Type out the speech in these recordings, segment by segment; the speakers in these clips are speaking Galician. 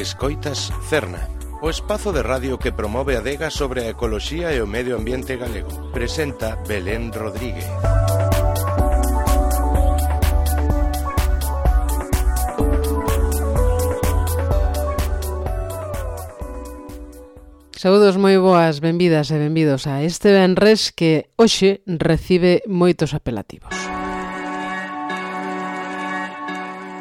Escoitas Cerna, o espazo de radio que promove a adega sobre a ecoloxía e o medio ambiente galego. Presenta Belén Rodríguez. Saúdos moi boas, benvidas e benvidos a este venres que hoxe recibe moitos apelativos.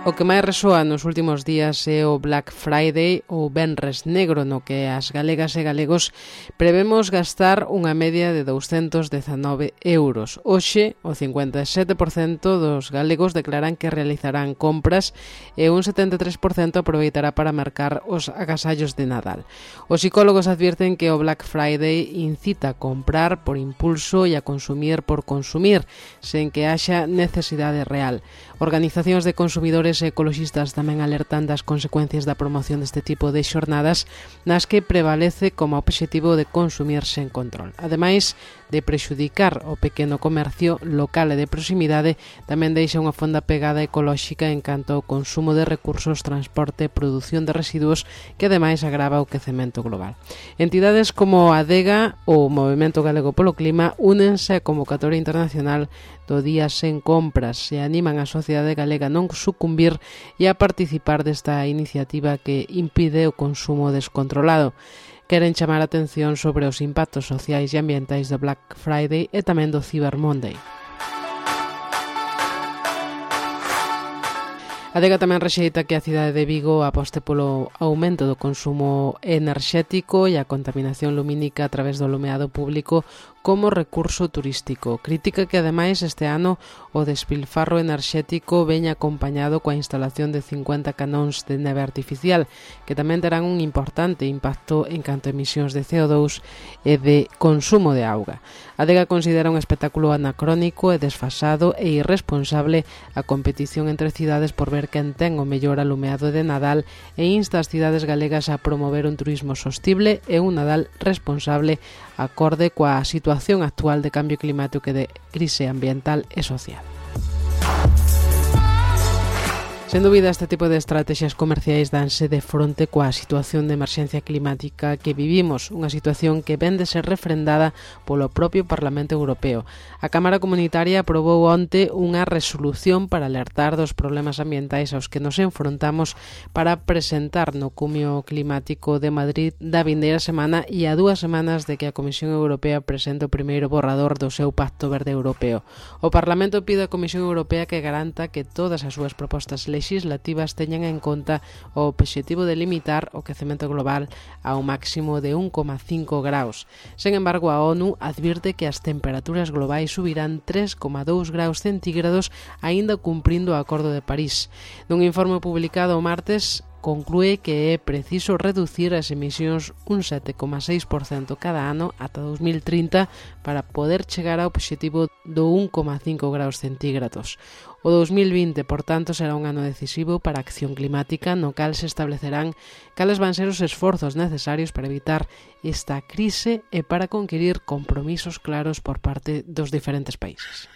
O que máis resoa nos últimos días é o Black Friday ou Venres Negro, no que as galegas e galegos prevemos gastar unha media de 219 euros. Hoxe, o 57% dos galegos declaran que realizarán compras e un 73% aproveitará para marcar os agasallos de Nadal. Os psicólogos advirten que o Black Friday incita a comprar por impulso e a consumir por consumir, sen que haxa necesidade real. Organizacións de consumidores e ecoloxistas tamén alertan das consecuencias da promoción deste tipo de xornadas nas que prevalece como obxectivo de consumir sen control. Ademais de prexudicar o pequeno comercio local e de proximidade, tamén deixa unha fonda pegada ecolóxica en canto ao consumo de recursos, transporte e produción de residuos que ademais agrava o quecemento global. Entidades como a ADEGA ou o Movemento Galego polo Clima únense á convocatoria internacional do Día Sen Compras e animan a sociedade galega a non sucumbir e a participar desta iniciativa que impide o consumo descontrolado. Queren chamar a atención sobre os impactos sociais e ambientais do Black Friday e tamén do Cyber Monday. A ADEGA tamén rexeita que a cidade de Vigo aposte polo aumento do consumo enerxético e a contaminación lumínica a través do alumeado público como recurso turístico. Critica que, ademais, este ano o despilfarro enerxético veña acompañado coa instalación de 50 canóns de neve artificial, que tamén terán un importante impacto en canto a emisións de CO2 e de consumo de auga. A ADEGA considera un espectáculo anacrónico e desfasado e irresponsable a competición entre cidades por ver quen ten o mellor alumeado de Nadal e insta as cidades galegas a promover un turismo sostible e un Nadal responsable acorde coa situación actual de cambio climático e de crise ambiental e social. Sen dúbida, este tipo de estrategias comerciais danse de fronte coa situación de emerxencia climática que vivimos, unha situación que vén de ser refrendada polo propio Parlamento Europeo. A Cámara Comunitaria aprobou onte unha resolución para alertar dos problemas ambientais aos que nos enfrontamos para presentar no Cumio Climático de Madrid da vindeira semana e a 2 semanas de que a Comisión Europea presente o primeiro borrador do seu Pacto Verde Europeo. O Parlamento pide á Comisión Europea que garanta que todas as súas propostas legislativas teñan en conta o obxectivo de limitar o quecemento global ao máximo de 1,5 graus. Sen embargo, a ONU advirte que as temperaturas globais subirán 3,2 graus centígrados aínda cumprindo o Acordo de París. Nun informe publicado o martes, conclúe que é preciso reducir as emisións un 7,6% cada ano ata 2030 para poder chegar ao obxectivo do 1,5 graus centígrados. O 2020, por tanto, será un ano decisivo para a acción climática no cal se establecerán cales van ser os esforzos necesarios para evitar esta crise e para conquirir compromisos claros por parte dos diferentes países.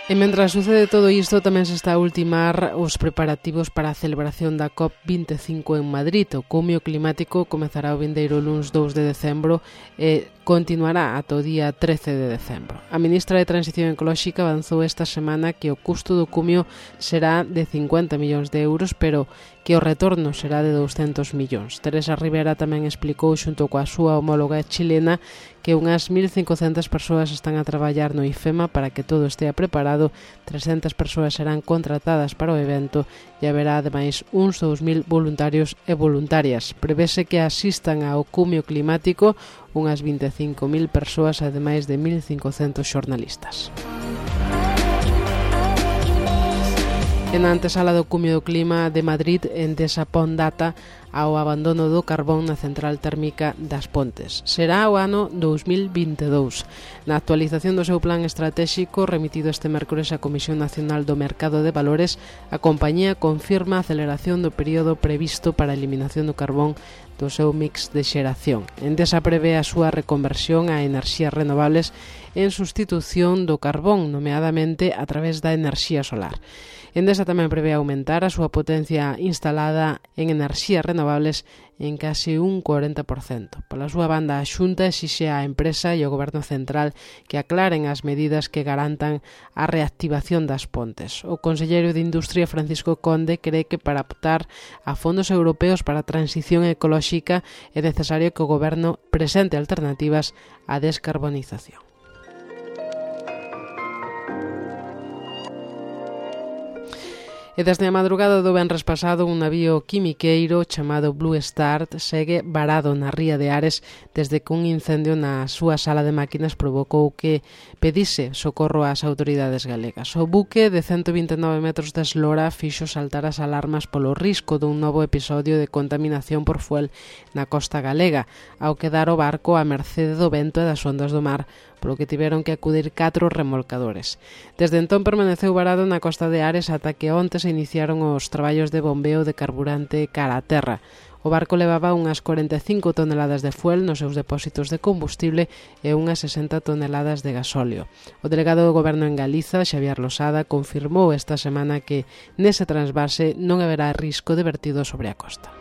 E mentras sucede todo isto, tamén se está a ultimar os preparativos para a celebración da COP25 en Madrid. O Cumio Climático comezará o vindeiro luns 2 de decembro e continuará ata o día 13 de decembro. A ministra de Transición Ecolóxica avanzou esta semana que o custo do Cumio será de 50 millóns de euros, pero que o retorno será de 200 millóns. Teresa Rivera tamén explicou xunto coa súa homóloga chilena que unhas 1.500 persoas están a traballar no IFEMA para que todo estea preparado, 300 persoas serán contratadas para o evento e haberá ademais uns 2.000 voluntarios e voluntarias. Prevese que asistan ao Cumio Climático unhas 25.000 persoas, ademais de 1.500 xornalistas. En a antesala do Cumio do Clima de Madrid, Endesa pon data ao abandono do carbón na central térmica das Pontes. Será o ano 2022. Na actualización do seu plan estratéxico remitido este mércores á Comisión Nacional do Mercado de Valores, a compañía confirma a aceleración do período previsto para a eliminación do carbón do seu mix de xeración. Endesa prevé a súa reconversión a enerxías renovables en sustitución do carbón, nomeadamente a través da enerxía solar. Endesa tamén prevé aumentar a súa potencia instalada en enerxías renovables en case un 40%. Pola súa banda, a Xunta exixe á empresa e ao Goberno Central que aclaren as medidas que garantan a reactivación das pontes. O conselleiro de Industria, Francisco Conde, cree que para optar a fondos europeos para a transición ecolóxica é necesario que o Goberno presente alternativas á descarbonización. E desde a madrugada do venres pasado, un navío quimiqueiro chamado Blue Star segue varado na ría de Ares desde que un incendio na súa sala de máquinas provocou que pedise socorro ás autoridades galegas. O buque de 129 metros de eslora fixo saltar as alarmas polo risco dun novo episodio de contaminación por fuel na costa galega, ao quedar o barco a mercede do vento e das ondas do mar, polo que tiveron que acudir 4 remolcadores. Desde entón permaneceu varado na costa de Ares ata que onte se iniciaron os traballos de bombeo de carburante cara a terra. O barco levaba unhas 45 toneladas de fuel nos seus depósitos de combustible e unhas 60 toneladas de gasóleo. O delegado do Goberno en Galiza, Xavier Losada, confirmou esta semana que nese transvase non haberá risco de vertido sobre a costa.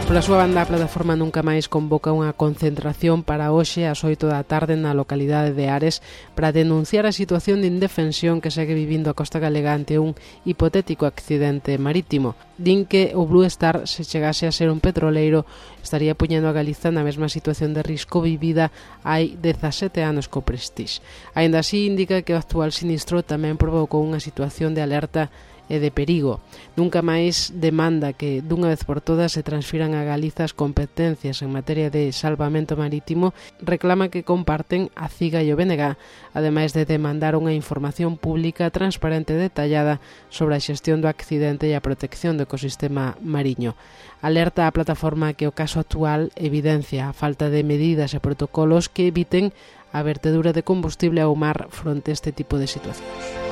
Pola súa banda, a plataforma Nunca Máis convoca unha concentración para hoxe ás 8 da tarde na localidade de Ares para denunciar a situación de indefensión que segue vivindo a costa galega ante un hipotético accidente marítimo. Din que o Blue Star, se chegase a ser un petroleiro, estaría poñendo a Galiza na mesma situación de risco vivida hai 17 anos co Prestige. Aínda así, indica que o actual sinistro tamén provocou unha situación de alerta e de perigo. Nunca máis demanda que dunha vez por todas se transfiran a Galiza as competencias en materia de salvamento marítimo, reclama que comparten a CIGA e o BNG, ademais de demandar unha información pública transparente e detallada sobre a xestión do accidente e a protección do ecosistema mariño. Alerta a plataforma que o caso actual evidencia a falta de medidas e protocolos que eviten a vertedura de combustible ao mar fronte a este tipo de situacións.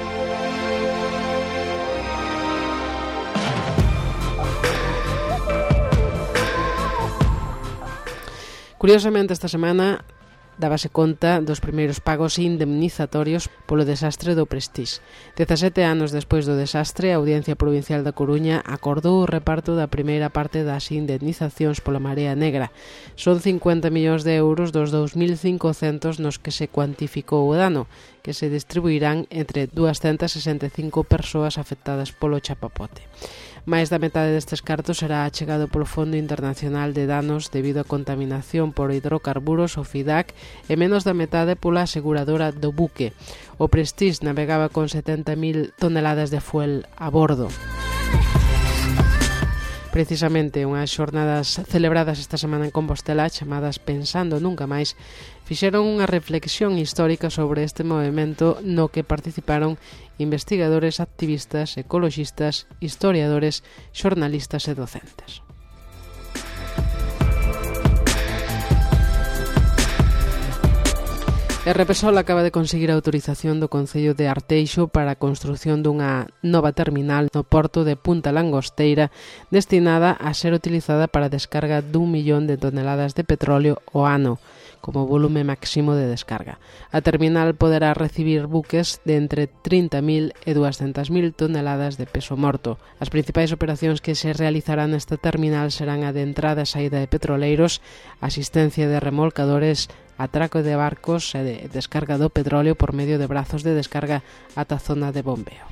Curiosamente, esta semana dábase conta dos primeiros pagos indemnizatorios polo desastre do Prestige. 17 anos despois do desastre, a Audiencia Provincial da Coruña acordou o reparto da primeira parte das indemnizacións pola Marea Negra. Son 50 millóns de euros dos 2.500 nos que se cuantificou o dano, que se distribuirán entre 265 persoas afectadas polo chapapote. Máis da metade destes cartos será achegado polo Fondo Internacional de Danos debido a contaminación por hidrocarburos, o FIDAC, e menos da metade pola aseguradora do buque. O Prestige navegaba con 70.000 toneladas de fuel a bordo. Precisamente unhas xornadas celebradas esta semana en Compostela chamadas Pensando Nunca Máis fixeron unha reflexión histórica sobre este movemento no que participaron investigadores, activistas, ecoloxistas, historiadores, xornalistas e docentes. E Repesol acaba de conseguir a autorización do Concello de Arteixo para a construción dunha nova terminal no porto de Punta Langosteira destinada a ser utilizada para a descarga d'1 millón de toneladas de petróleo ao ano, como volume máximo de descarga. A terminal poderá recibir buques de entre 30.000 e 200.000 toneladas de peso morto. As principais operacións que se realizarán nesta terminal serán a de entrada e saída de petroleiros, asistencia de remolcadores, atraco de barcos e de descarga do petróleo por medio de brazos de descarga ata a zona de bombeo.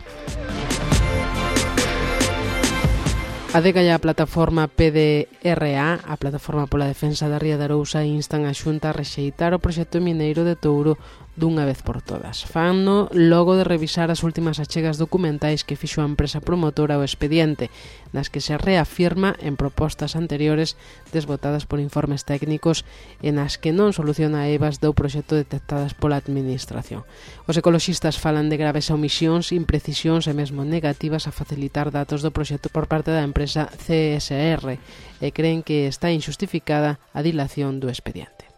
A DEGA e a plataforma PDRA, a Plataforma pola Defensa da Ría de Arousa, instan a Xunta a rexeitar o proxecto mineiro de Touro dunha vez por todas. Fanno logo de revisar as últimas achegas documentais que fixo a empresa promotora o expediente, nas que se reafirma en propostas anteriores desbotadas por informes técnicos e nas que non soluciona EVAs do proxecto detectadas pola administración. Os ecoloxistas falan de graves omisións, imprecisións e mesmo negativas a facilitar datos do proxecto por parte da empresa CSR e creen que está injustificada a dilación do expediente.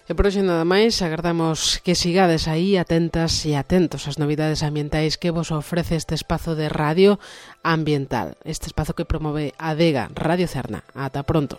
E por hoxe nada máis, agardamos que sigades aí atentas e atentos ás novidades ambientais que vos ofrece este espazo de radio ambiental, este espazo que promove Adega Radio Cerna. Ata pronto.